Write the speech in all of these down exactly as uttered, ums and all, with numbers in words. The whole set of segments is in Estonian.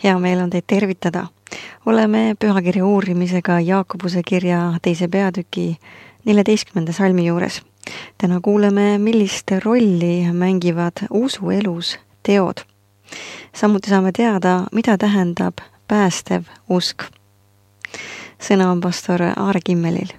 Hea meel on teid tervitada. Oleme pühakirja uurimisega Jaakobuse kirja teise peatüki neljateistkümnenda salmi juures. Täna kuuleme, millist rolli mängivad usuelus teod. Samuti saame teada, mida tähendab päästev usk. Sõna on pastor Aare Kimmelil.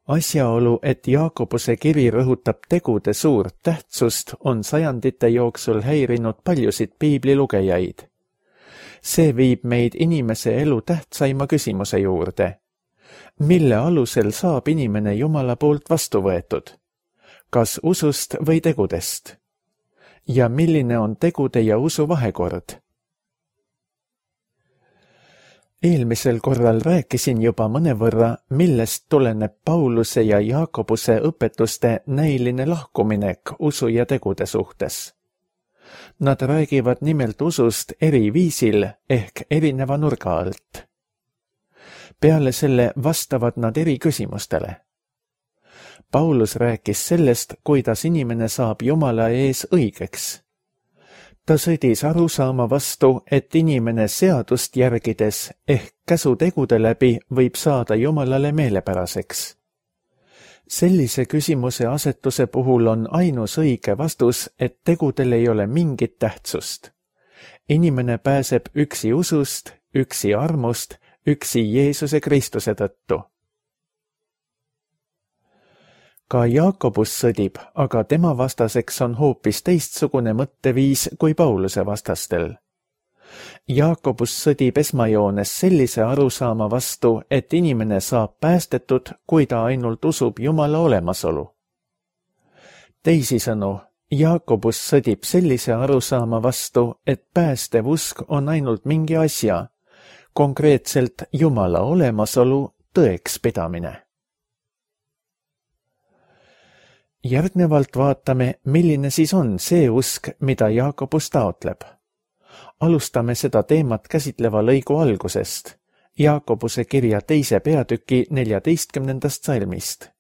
Asjaolu, et Jaakobuse kiri rõhutab tegude suurt tähtsust, on sajandite jooksul häirinud paljusid piiblilugejaid. See viib meid inimese elu tähtsaima küsimuse juurde. Mille alusel saab inimene Jumala poolt vastu võetud? Kas usust või tegudest? Ja milline on tegude ja usu vahekord? Eelmisel korral rääkisin juba mõnevõrra, millest tuleneb Pauluse ja Jaakobuse õpetuste näiline lahkuminek usu ja tegude suhtes. Nad räägivad nimelt usust eri viisil ehk erineva nurga alt. Peale selle vastavad nad eri küsimustele. Paulus rääkis sellest, kuidas inimene saab Jumala ees õigeks. Ta sõdis arusaama vastu, et inimene seadust järgides ehk käsutegude läbi võib saada Jumalale meelepäraseks. Sellise küsimuse asetuse puhul on ainus õige vastus, et tegudel ei ole mingit tähtsust. Inimene pääseb üksi usust, üksi armust, üksi Jeesuse Kristuse tõttu. Ka Jaakobus sõdib, aga tema vastaseks on hoopis teistsugune mõtteviis kui Pauluse vastastel. Jaakobus sõdib esmajoones sellise arusaama vastu, et inimene saab päästetud, kui ta ainult usub Jumala olemasolu. Teisisõnu, Jaakobus sõdib sellise arusaama vastu, et päästev usk on ainult mingi asja, konkreetselt Jumala olemasolu tõeks pidamine. Järgnevalt vaatame, milline siis on see usk, mida Jaakobus taotleb. Alustame seda teemat käsitleva lõigu algusest, Jaakobuse kirja teise peatüki neljateistkümnendast salmist.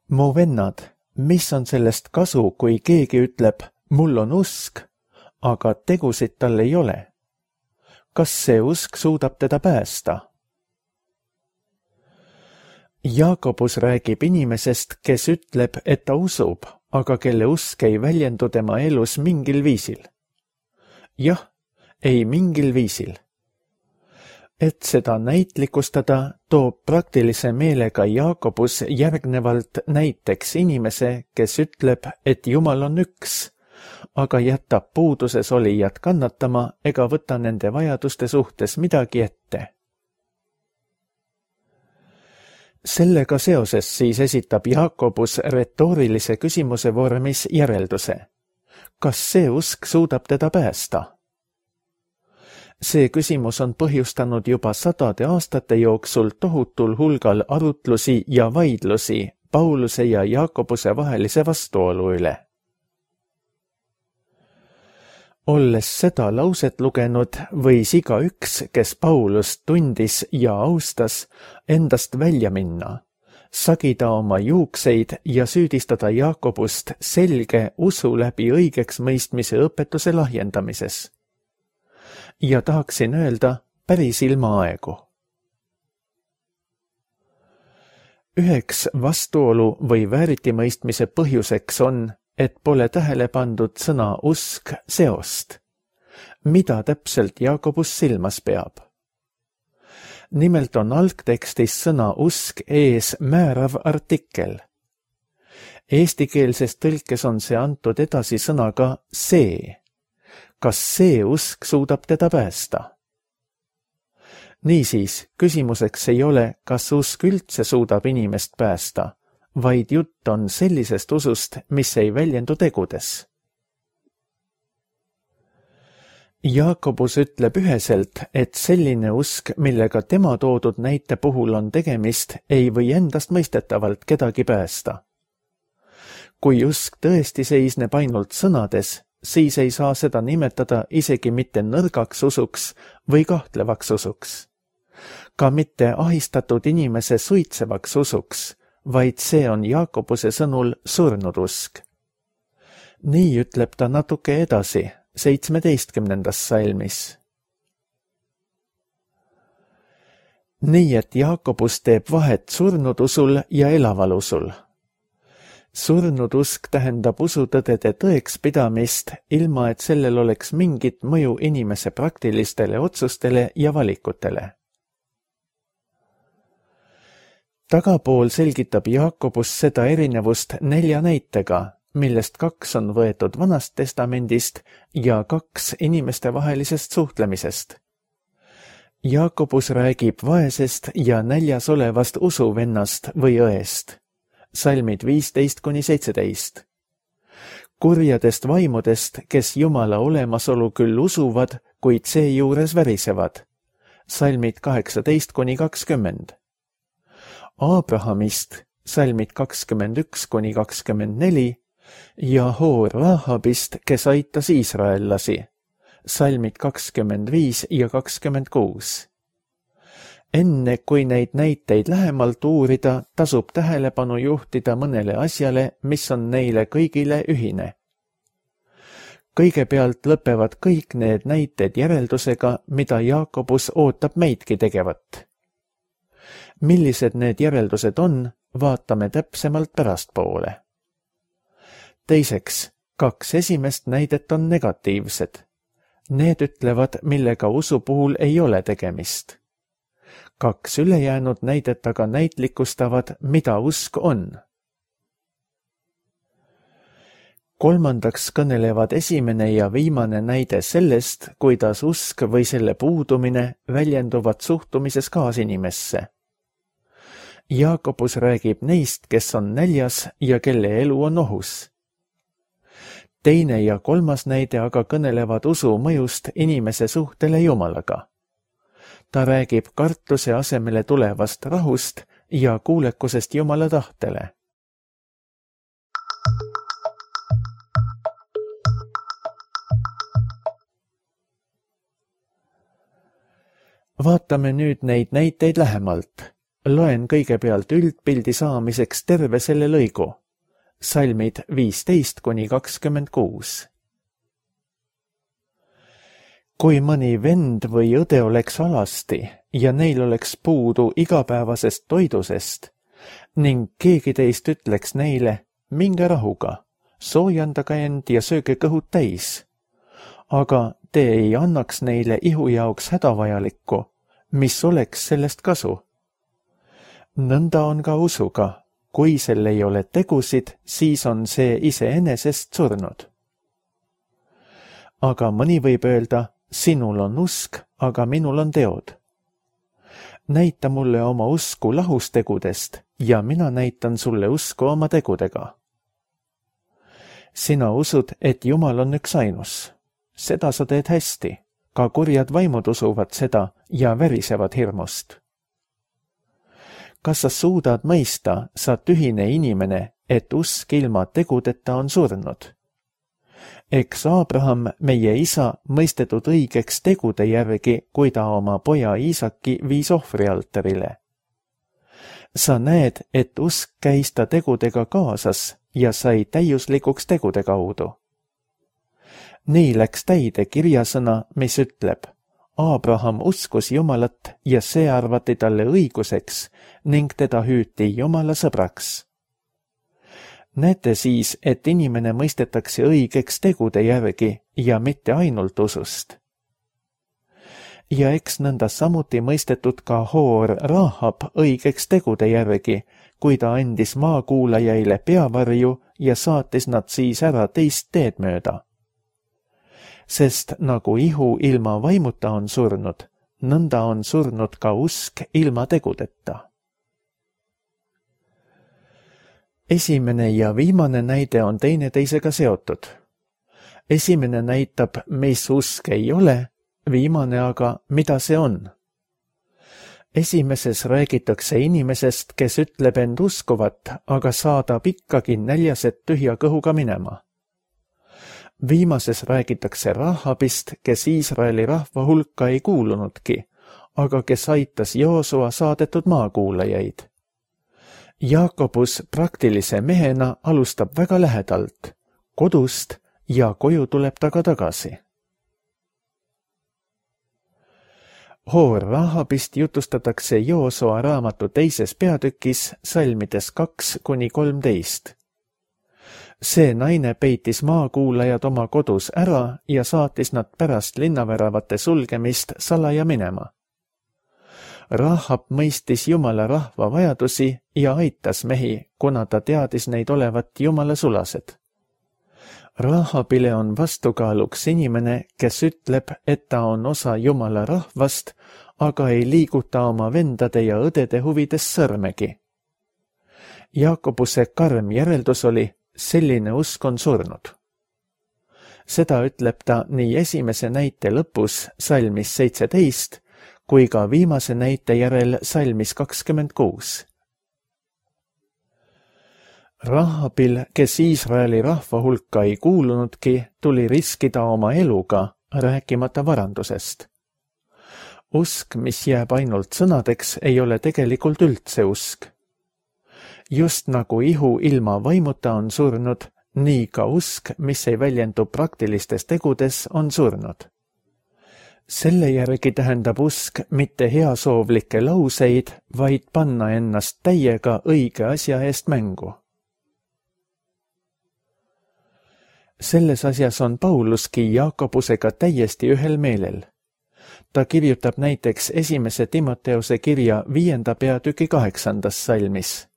Mu vennad, mis on sellest kasu, kui keegi ütleb, mul on usk, aga tegusid tal ei ole? Kas see usk suudab teda päästa? Jaakobus räägib inimesest, kes ütleb, et ta usub, aga kelle usk ei väljendu tema elus mingil viisil. Jah, ei mingil viisil. Et seda näitlikustada, toob praktilise meelega Jaakobus järgnevalt näiteks inimese, kes ütleb, et Jumal on üks, aga jätab puuduses olijad kannatama ega võta nende vajaduste suhtes midagi ette. Sellega seoses siis esitab Jaakobus retoorilise küsimuse vormis järelduse. Kas see usk suudab teda päästa? See küsimus on põhjustanud juba sadade aastate jooksul tohutul hulgal arutlusi ja vaidlusi Pauluse ja Jaakobuse vahelise vastuolu üle. Olles seda lauset lugenud, võis igaüks, kes Paulust tundis ja austas, endast välja minna, sagida oma juukseid ja süüdistada Jaakobust selge usu läbi õigeks mõistmise õpetuse lahjendamises. Ja tahaksin öelda päris ilma aegu. Üheks vastuolu või vääritimõistmise põhjuseks on, et pole tähele pandud sõna usk seost. Mida täpselt Jaakobus silmas peab? Nimelt on algtekstis sõna usk ees määrav artikkel. Eestikeelses tõlkes on see antud edasi sõnaga see. Kas see usk suudab teda päästa? Niisiis, küsimuseks ei ole, kas usk üldse suudab inimest päästa, vaid jutt on sellisest usust, mis ei väljendu tegudes. Jaakobus ütleb üheselt, et selline usk, millega tema toodud näite puhul on tegemist, ei või endast mõistetavalt kedagi päästa. Kui usk tõesti seisneb ainult sõnades, siis ei saa seda nimetada isegi mitte nõrgaks usuks või kahtlevaks usuks. Ka mitte ahistatud inimese suitsevaks usuks vaid see on Jaakobuse sõnul surnud usk. nii ütleb ta natuke edasi, seitsmeteistkümnendas salmis. nii et Jaakobus teeb vahet surnud usul ja elaval usul. Surnud usk tähendab usutõdede tõekspidamist, ilma et sellel oleks mingit mõju inimese praktilistele otsustele ja valikutele. Tagapool selgitab Jaakobus seda erinevust nelja näitega, millest kaks on võetud Vanast Testamendist ja kaks inimestevahelisest suhtlemisest. Jaakobus räägib vaesest ja näljas olevast usuvennast või õest. Salmid viisteist kuni seitseteist. Kurjadest vaimudest, kes Jumala olemasolu küll usuvad, kuid seejuures värisevad. Salmid kaheksateist kuni kakskümmend. Abrahamist, salmid kakskümmend üks kuni kakskümmend neli ja Hoor Rahabist, kes aitas iisraellasi. Salmid kakskümmend viis ja kakskümmend kuus. Enne kui neid näiteid lähemalt uurida, tasub tähelepanu juhtida mõnele asjale, mis on neile kõigile ühine. Kõigepealt lõpevad kõik need näited järeldusega, mida Jaakobus ootab meidki tegevat. Millised need järeldused on, vaatame täpsemalt pärastpoole. Teiseks, kaks esimest näidet on negatiivsed. Need ütlevad, millega usu puhul ei ole tegemist. Kaks ülejäänud näidet aga näitlikustavad, mida usk on. Kolmandaks kõnelevad esimene ja viimane näide sellest, kuidas usk või selle puudumine väljenduvad suhtumises kaasinimesse. Jaakobus räägib neist, kes on näljas ja kelle elu on ohus. Teine ja kolmas näide aga kõnelevad usu mõjust inimese suhtele Jumalaga. Ta räägib kartuse asemele tulevast rahust ja kuulekusest Jumala tahtele. Vaatame nüüd neid näiteid lähemalt. Loen kõigepealt üldpildi saamiseks terve selle lõigu. Salmid viisteist kuni kakskümmend kuus. Kui mõni vend või õde oleks alasti ja neil oleks puudu igapäevasest toidusest ning keegi teist ütleks neile, minge rahuga, soojandage end ja sööge kõhud täis, aga te ei annaks neile ihu jaoks hädavajalikku, mis oleks sellest kasu. Nõnda on ka usuga, kui sel ei ole tegusid, siis on see iseenesest surnud. Aga mõni võib öelda, sinul on usk, aga minul on teod. Näita mulle oma usku lahus tegudest ja mina näitan sulle usku oma tegudega. Sina usud, et Jumal on üks ainus. Seda sa teed hästi. Ka kurjad vaimud usuvad seda ja värisevad hirmust. Kas sa suudad mõista, sa tühine inimene, et usk ilma tegudeta on surnud? Eks Abraham, meie isa, mõistetud õigeks tegude järgi, kui ta oma poja Iisaki viis ohvrialtarile. Sa näed, et usk käis ta tegudega kaasas ja sai täiuslikuks tegude kaudu. Nii läks täide kirjasõna, mis ütleb, Abraham uskus Jumalat ja see arvati talle õiguseks ning teda hüüti Jumala sõbraks. Näete siis, et inimene mõistetakse õigeks tegude järgi ja mitte ainult usust. Ja eks nõnda samuti mõistetud ka Hoor Rahab õigeks tegude järgi, kui ta andis maakuulajaile peavarju ja saatis nad siis ära teist teed mööda. Sest nagu ihu ilma vaimuta on surnud, nõnda on surnud ka usk ilma tegudeta. Esimene ja viimane näide on teineteisega seotud. Esimene näitab, mis usk ei ole, viimane aga, mida see on. Esimeses räägitakse inimesest, kes ütleb end uskuvat, aga saadab ikkagi näljaset tühja kõhuga minema. Viimases räägitakse Rahabist, kes Iisraeli rahva hulka ei kuulunudki, aga kes aitas Joosua saadetud maakuulajaid. Jaakobus praktilise mehena alustab väga lähedalt, kodust ja koju tuleb ta ka tagasi. Hoor Rahabist jutustatakse Joosoa raamatu teises peatükis salmides kaks kuni kolmteist. See naine peitis maakuulajad oma kodus ära ja saatis nad pärast linnaväravate sulgemist salaja minema. Rahab mõistis Jumala rahva vajadusi ja aitas mehi, kuna ta teadis neid olevat Jumala sulased. Rahabile on vastukaaluks inimene, kes ütleb, et ta on osa Jumala rahvast, aga ei liiguta oma vendade ja õdede huvides sõrmegi. Jaakobuse karm järeldus oli, selline usk on surnud. Seda ütleb ta nii esimese näite lõpus salmis seitseteist, kui ka viimase näite järel salmis kakskümmend kuus. Rahabil, kes Iisraeli rahva hulka ei kuulunudki, tuli riskida oma eluga, rääkimata varandusest. Usk, mis jääb ainult sõnadeks, ei ole tegelikult üldse usk. Just nagu ihu ilma vaimuta on surnud, nii ka usk, mis ei väljendu praktilistes tegudes, on surnud. Selle järgi tähendab usk mitte heasoovlikke lauseid, vaid panna ennast täiega õige asja eest mängu. Selles asjas on Pauluski Jaakobusega täiesti ühel meelel. Ta kirjutab näiteks esimese Timoteuse kirja viienda peatüki kaheksandas salmis.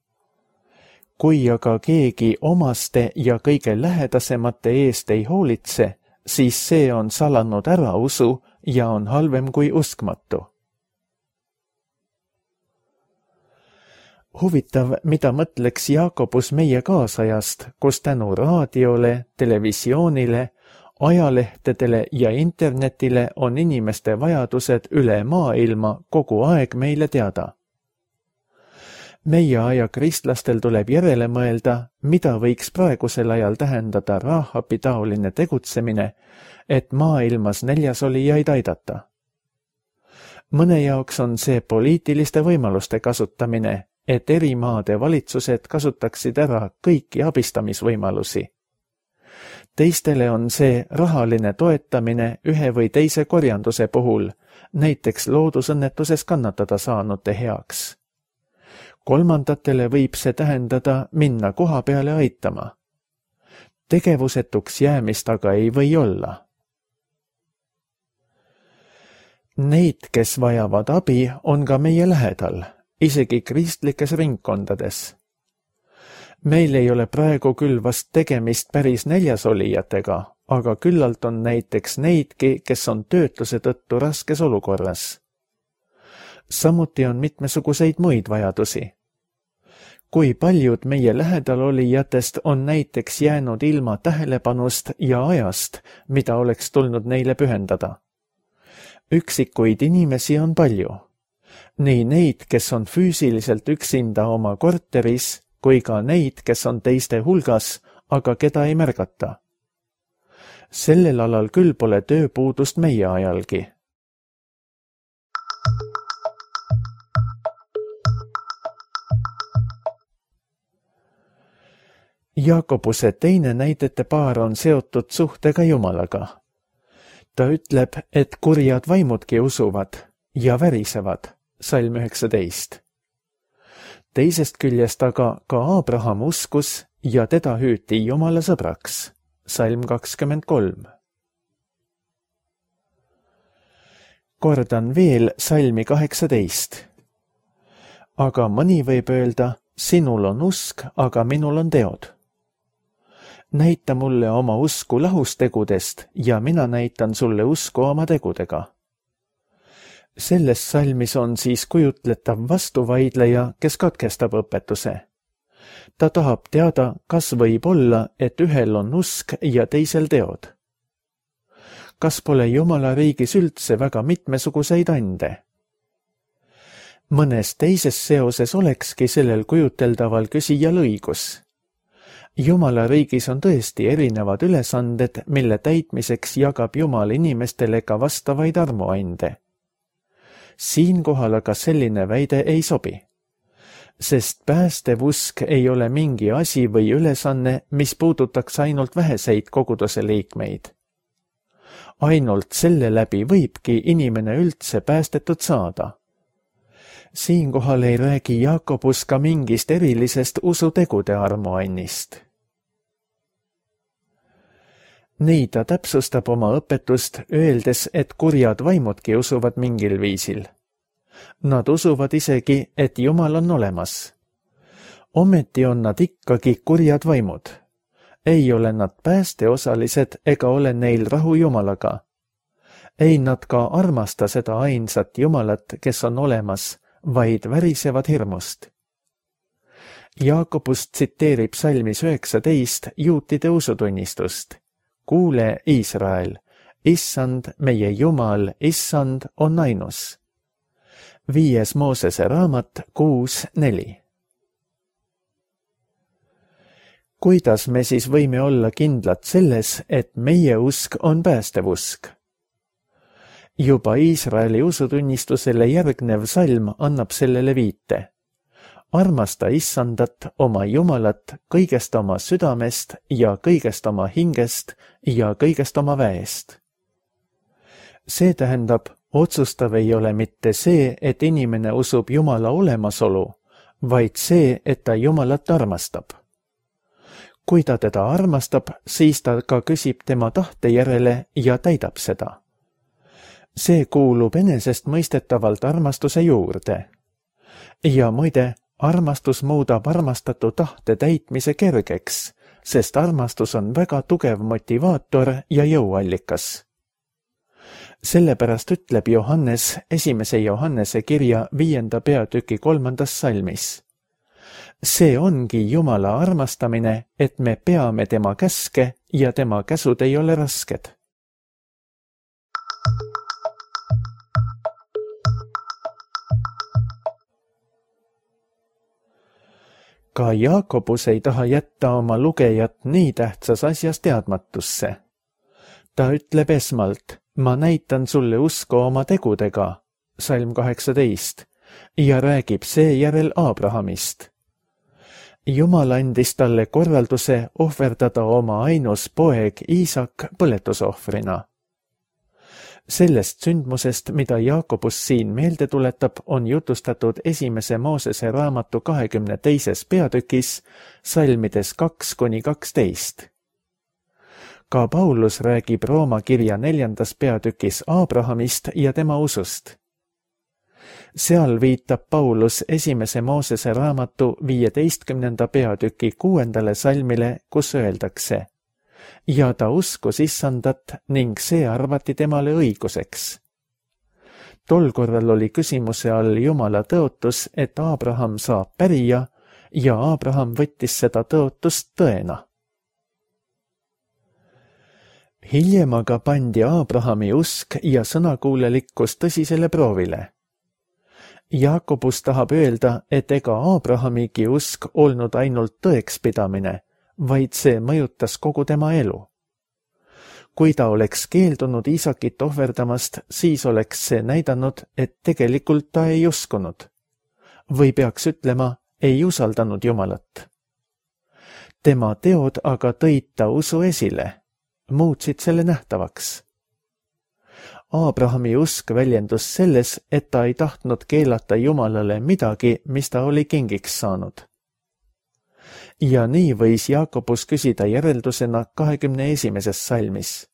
Kui aga keegi omaste ja kõige lähedasemate eest ei hoolitse, siis see on salanud ära usu ja on halvem kui uskmatu. Huvitav, mida mõtleks Jaakobus meie kaasajast, kus tänu raadiole, televisioonile, ajalehtedele ja internetile on inimeste vajadused üle maailma kogu aeg meile teada. Meie aja kristlastel tuleb järele mõelda, mida võiks praegusel ajal tähendada Rahabi taoline tegutsemine, et maailmas näljasolijaid aidata. Mõne jaoks on see poliitiliste võimaluste kasutamine, et eri maade valitsused kasutaksid ära kõiki abistamisvõimalusi. Teistele on see rahaline toetamine ühe või teise korjanduse puhul, näiteks loodusõnnetuses kannatada saanute heaks. Kolmandatele võib see tähendada minna koha peale aitama. Tegevusetuks jäämist aga ei või olla. Neid, kes vajavad abi, on ka meie lähedal, isegi kristlikes ringkondades. Meil ei ole praegu küll vast tegemist päris näljasolijatega, aga küllalt on näiteks neidki, kes on töötuse tõttu raskes olukorras. Samuti on mitmesuguseid muid vajadusi. Kui paljud meie lähedal olijatest on näiteks jäänud ilma tähelepanust ja ajast, mida oleks tulnud neile pühendada. Üksikuid inimesi on palju. Nii neid, kes on füüsiliselt üksinda oma korteris, kui ka neid, kes on teiste hulgas, aga keda ei märgata. Sellel alal küll pole tööpuudust meie ajalgi. Jaakobuse teine näidete paar on seotud suhtega Jumalaga. Ta ütleb, et kurjad vaimudki usuvad ja värisevad, salm üheksateist. Teisest küljest aga ka Abraham uskus ja teda hüüti Jumala sõbraks, salm kakskümmend kolm. Kordan veel salmi kaheksateist. Aga mõni võib öelda, sinul on usk, aga minul on teod. Näita mulle oma usku lahustegudest ja mina näitan sulle usku oma tegudega. Selles salmis on siis kujutletav vastuvaidleja, kes katkestab õpetuse. Ta tahab teada, kas võib olla, et ühel on usk ja teisel teod. Kas pole Jumala riigis üldse väga mitmesuguseid ande? Mõnes teises seoses olekski sellel kujuteldaval küsijal õigus. Jumala riigis on tõesti erinevad ülesanded, mille täitmiseks jagab Jumal inimestele ka vastavaid armuande. Siinkohal aga selline väide ei sobi. sest päästev usk ei ole mingi asi või ülesanne, mis puudutaks ainult väheseid koguduse liikmeid. Ainult selle läbi võibki inimene üldse päästetud saada. Siinkohal ei räägi Jaakobus ka mingist erilisest usutegude armuannist. Nii ta täpsustab oma õpetust, öeldes, et kurjad vaimudki usuvad mingil viisil. Nad usuvad isegi, et Jumal on olemas. Ometi on nad ikkagi kurjad vaimud. Ei ole nad päästeosalised ega ole neil rahu Jumalaga. Ei nad ka armasta seda ainsat Jumalat, kes on olemas, vaid värisevad hirmust. Jaakobus tsiteerib salmis üheksateist juutide usutunnistust. Kuule, Iisrael, issand, meie Jumal, issand on ainus. Viies Moosese raamat kuus neli. Kuidas me siis võime olla kindlad selles, et meie usk on päästev usk? Juba Iisraeli usutunnistusele järgnev salm annab sellele viite. Armasta issandat, oma Jumalat, kõigest oma südamest ja kõigest oma hingest ja kõigest oma väest. See tähendab, otsustav ei ole mitte see, et inimene usub Jumala olemasolu, vaid see, et ta Jumalat armastab. Kui ta teda armastab, siis ta ka küsib tema tahte järele ja täidab seda. See kuulub enesestmõistetavalt armastuse juurde. Ja muide, armastus muudab armastatu tahte täitmise kergeks, sest armastus on väga tugev motivaator ja jõuallikas. Sellepärast ütleb Johannes esimese Johannese kirja viienda peatüki kolmandas salmis. See ongi Jumala armastamine, et me peame tema käske ja tema käsud ei ole rasked. Ka Jaakobus ei taha jätta oma lugejat nii tähtsas asjas teadmatusse. Ta ütleb esmalt, ma näitan sulle usku oma tegudega, salm kaheksateist, ja räägib seejärel Abrahamist. Jumal andis talle korralduse ohverdada oma ainus poeg Iisak põletusohvrina. Sellest sündmusest, mida Jaakobus siin meelde tuletab, on jutustatud esimese Moosese raamatu kahekümne teises peatükis, salmides kaks kuni kaksteist. Ka Paulus räägib Rooma kirja neljandas peatükis Abrahamist ja tema usust. Seal viitab Paulus esimese Moosese raamatu viieteistkümnenda peatüki kuuendale salmile, kus öeldakse: ja ta uskus issandat ning see arvati temale õiguseks. Tol korral oli küsimuse all Jumala tõotus, et Abraham saab pärija ja Abraham võttis seda tõotust tõena. Hiljem aga pandi Abrahami usk ja sõnakuulelikkus tõsisele proovile. Jaakobus tahab öelda, et ega Abrahamigi usk olnud ainult tõekspidamine, vaid see mõjutas kogu tema elu. Kui ta oleks keeldunud Iisakit ohverdamast, siis oleks see näidanud, et tegelikult ta ei uskunud. Või peaks ütlema, ei usaldanud Jumalat. Tema teod aga tõid ta usu esile, muutsid selle nähtavaks. Abrahami usk väljendus selles, et ta ei tahtnud keelata Jumalale midagi, mis ta oli kingiks saanud. Ja nii võis Jaakobus küsida järeldusena kahekümne esimeses salmis.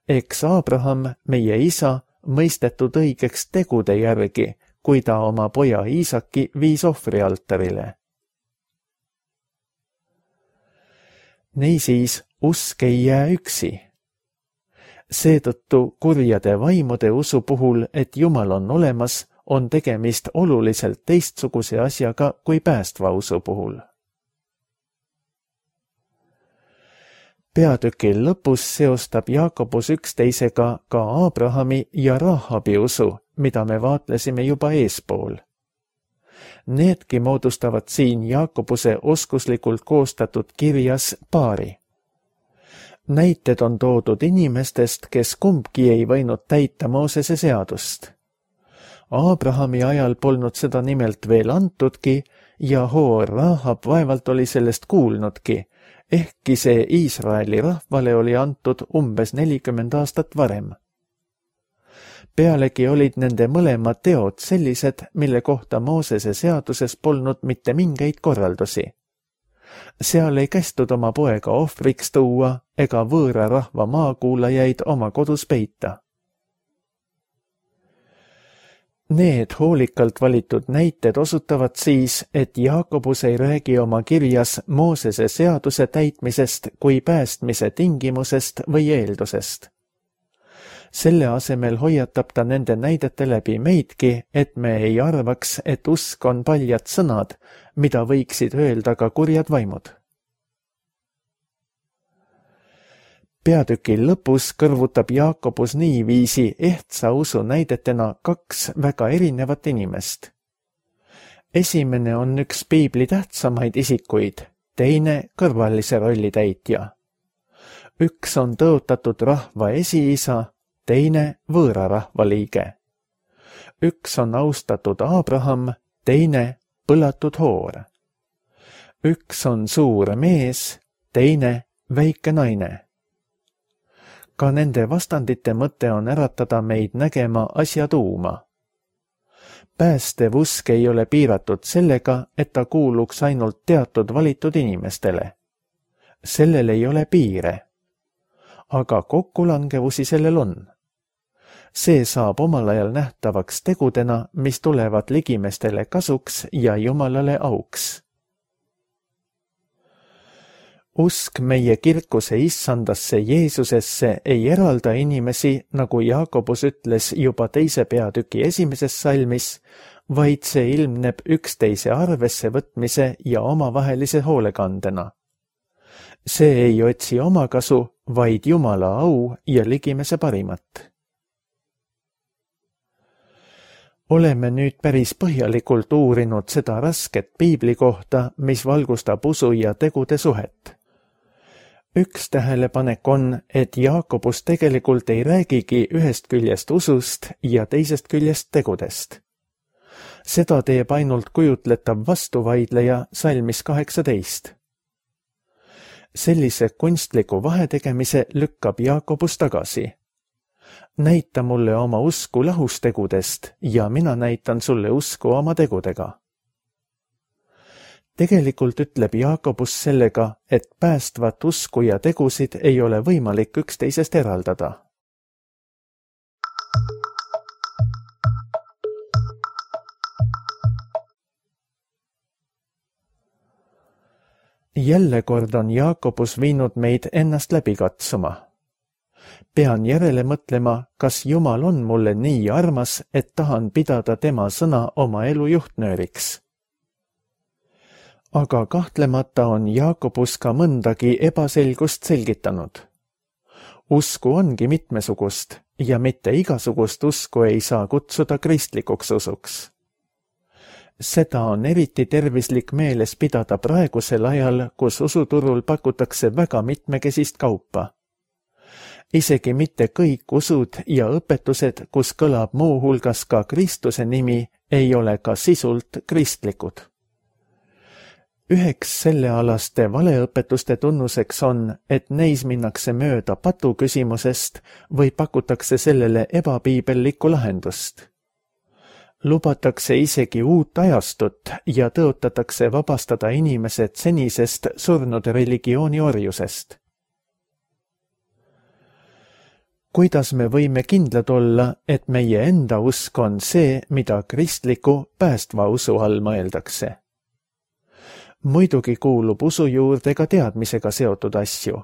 Eks Abraham, meie isa, mõistetud õigeks tegude järgi, kui ta oma poja Iisaki viis ohvrialtarile. Niisiis, usk ei jää üksi. Seetõttu kurjade vaimude usu puhul, et Jumal on olemas, on tegemist oluliselt teistsuguse asjaga kui päästva usu puhul. Peatükil lõpus seostab Jaakobus üksteisega ka Abrahami ja Rahabi usu, mida me vaatlesime juba eespool. Needki moodustavad siin Jaakobuse oskuslikult koostatud kirjas paari. Näited on toodud inimestest, kes kumbki ei võinud täita Moosese seadust. Abrahami ajal polnud seda nimelt veel antudki ja Hoor Rahab vaevalt oli sellest kuulnudki, ehkki see Iisraeli rahvale oli antud umbes nelikümmend aastat varem. Pealegi olid nende mõlemad teod sellised, mille kohta Moosese seaduses polnud mitte mingeid korraldusi. Seal ei kästud oma poega ohvriks tuua ega võõra rahva maakuulajaid oma kodus peita. Need hoolikalt valitud näited osutavad siis, et Jaakobus ei räägi oma kirjas Moosese seaduse täitmisest kui päästmise tingimusest või eeldusest. Selle asemel hoiatab ta nende näidete läbi meidki, et me ei arvaks, et usk on paljad sõnad, mida võiksid öelda ka kurjad vaimud. Peatüki lõpus kõrvutab Jaakobus niiviisi ehtsa usu näidetena kaks väga erinevat inimest. Esimene on üks piibli tähtsamaid isikuid, teine kõrvalise rolli täitja. Üks on tõotatud rahva esiisa, teine võõra rahva liige. Üks on austatud Abraham, teine põlatud Hoor. Üks on suur mees, teine väike naine. Ka nende vastandite mõte on äratada meid nägema asja tuuma. Päästev usk ei ole piiratud sellega, et ta kuuluks ainult teatud valitud inimestele. Sellel ei ole piire. Aga kokkulangevusi sellel on. See saab omal ajal nähtavaks tegudena, mis tulevad ligimestele kasuks ja Jumalale auks. Usk meie kirkuse issandasse Jeesusesse ei eralda inimesi, nagu Jaakobus ütles juba teise peatüki esimeses salmis, vaid see ilmneb üksteise arvesse võtmise ja omavahelise hoolekandena. See ei otsi omakasu, vaid Jumala au ja ligimese parimat. Oleme nüüd päris põhjalikult uurinud seda rasket piibli kohta, mis valgustab usu ja tegude suhet. Üks tähelepanek on, et Jaakobus tegelikult ei räägigi ühest küljest usust ja teisest küljest tegudest. Seda teeb ainult kujutletav vastuvaidleja salmis kaheksateist. Sellise kunstliku vahetegemise lükkab Jaakobus tagasi. Näita mulle oma usku lahus tegudest ja mina näitan sulle usku oma tegudega. Tegelikult ütleb Jaakobus sellega, et päästvat usku ja tegusid ei ole võimalik üksteisest eraldada. Jälle kord on Jaakobus viinud meid ennast läbi katsuma. Pean järele mõtlema, kas Jumal on mulle nii armas, et tahan pidada tema sõna oma elu juhtnööriks. Aga kahtlemata on Jaakobus ka mõndagi ebaselgust selgitanud. Usku ongi mitmesugust ja mitte igasugust usku ei saa kutsuda kristlikuks usuks. Seda on eriti tervislik meeles pidada praegusel ajal, kus usuturul pakutakse väga mitmekesist kaupa. Isegi mitte kõik usud ja õpetused, kus kõlab muu hulgas ka Kristuse nimi, ei ole ka sisult kristlikud. Üheks sellealaste valeõpetuste tunnuseks on, et neis minnakse mööda patu küsimusest või pakutakse sellele ebapiibellikku lahendust. Lubatakse isegi uut ajastut ja tõotatakse vabastada inimesed senisest surnud religiooni orjusest. Kuidas me võime kindlad olla, et meie enda usk on see, mida kristliku päästva usu all mõeldakse? Muidugi kuulub usu juurde ka teadmisega seotud asju.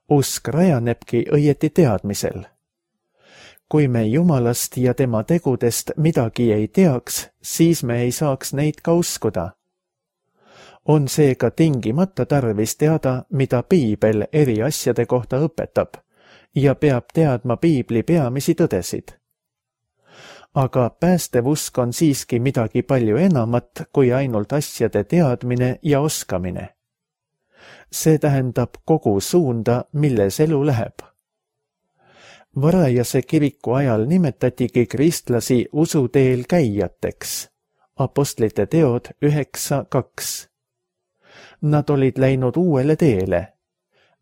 Usk rajanebki õieti teadmisel. Kui me Jumalast ja tema tegudest midagi ei teaks, siis me ei saaks neid ka uskuda. On seega tingimata tarvis teada, mida piibel eri asjade kohta õpetab ja peab teadma piibli peamisi tõdesid. Aga päästev usk on siiski midagi palju enamat kui ainult asjade teadmine ja oskamine. See tähendab kogu suunda, milles elu läheb. Varajase kiriku ajal nimetatigi kristlasi usuteel käijateks. Apostlite teod üheksa kaks. Nad olid läinud uuele teele,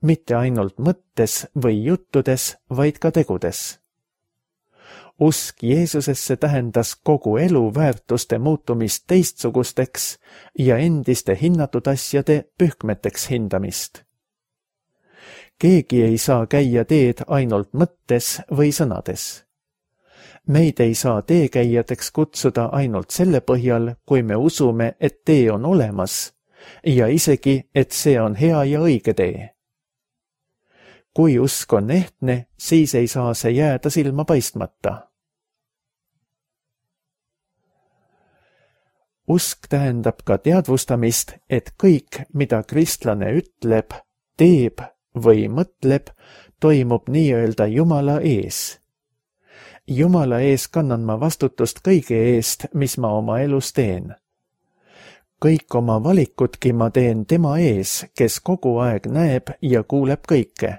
mitte ainult mõttes või juttudes, vaid ka tegudes. Usk Jeesusesse tähendas kogu elu väärtuste muutumist teistsugusteks ja endiste hinnatud asjade pühkmeteks hindamist. Keegi ei saa käia teed ainult mõttes või sõnades. Meid ei saa teekäijateks kutsuda ainult selle põhjal, kui me usume, et tee on olemas ja isegi, et see on hea ja õige tee. Kui usk on ehtne, siis ei saa see jääda silma paistmata. Usk tähendab ka teadvustamist, et kõik, mida kristlane ütleb, teeb või mõtleb, toimub nii-öelda Jumala ees. Jumala ees kannan ma vastutust kõige eest, mis ma oma elus teen. Kõik oma valikudki ma teen tema ees, kes kogu aeg näeb ja kuuleb kõike.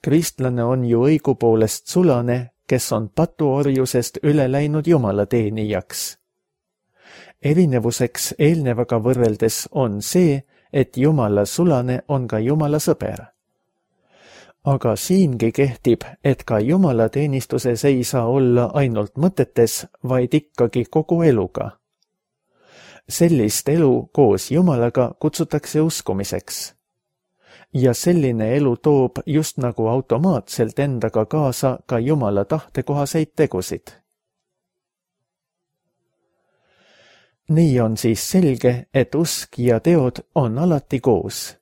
Kristlane on ju õigupoolest sulane, kes on patuorjusest üle läinud Jumala teenijaks. Erinevuseks eelnevaga võrreldes on see, et Jumala sulane on ka Jumala sõber. Aga siingi kehtib, et ka Jumala teenistuses ei saa olla ainult mõtetes, vaid ikkagi kogu eluga. Sellist elu koos Jumalaga kutsutakse uskumiseks. Ja selline elu toob just nagu automaatselt endaga kaasa ka Jumala tahtekohaseid tegusid. Nii on siis selge, et usk ja teod on alati koos.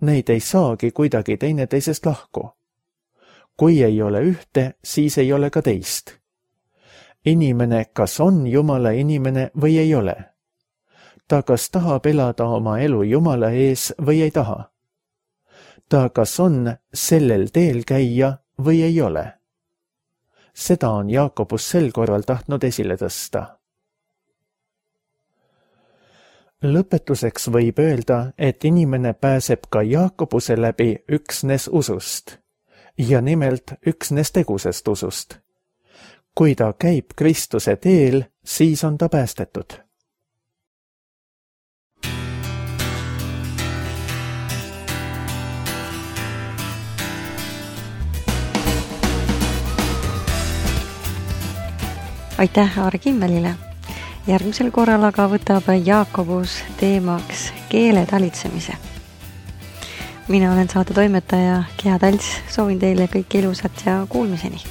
Neid ei saagi kuidagi teineteisest lahku. Kui ei ole ühte, siis ei ole ka teist. Inimene kas on Jumala inimene või ei ole. Ta kas tahab elada oma elu Jumala ees või ei taha. Ta kas on sellel teel käia või ei ole. Seda on Jaakobus sel korral tahtnud esile tõsta. Lõpetuseks võib öelda, et inimene pääseb ka Jaakobuse läbi üksnes usust, ja nimelt üksnes tegusest usust. Kui ta käib Kristuse teel, siis on ta päästetud. Aitäh Aare Kimmelile! Järgmisel korral aga võtab Jaakobus teemaks keele talitsemise. Mina olen saate toimetaja Gea Talts, soovin teile kõik ilusat ja kuulmiseni!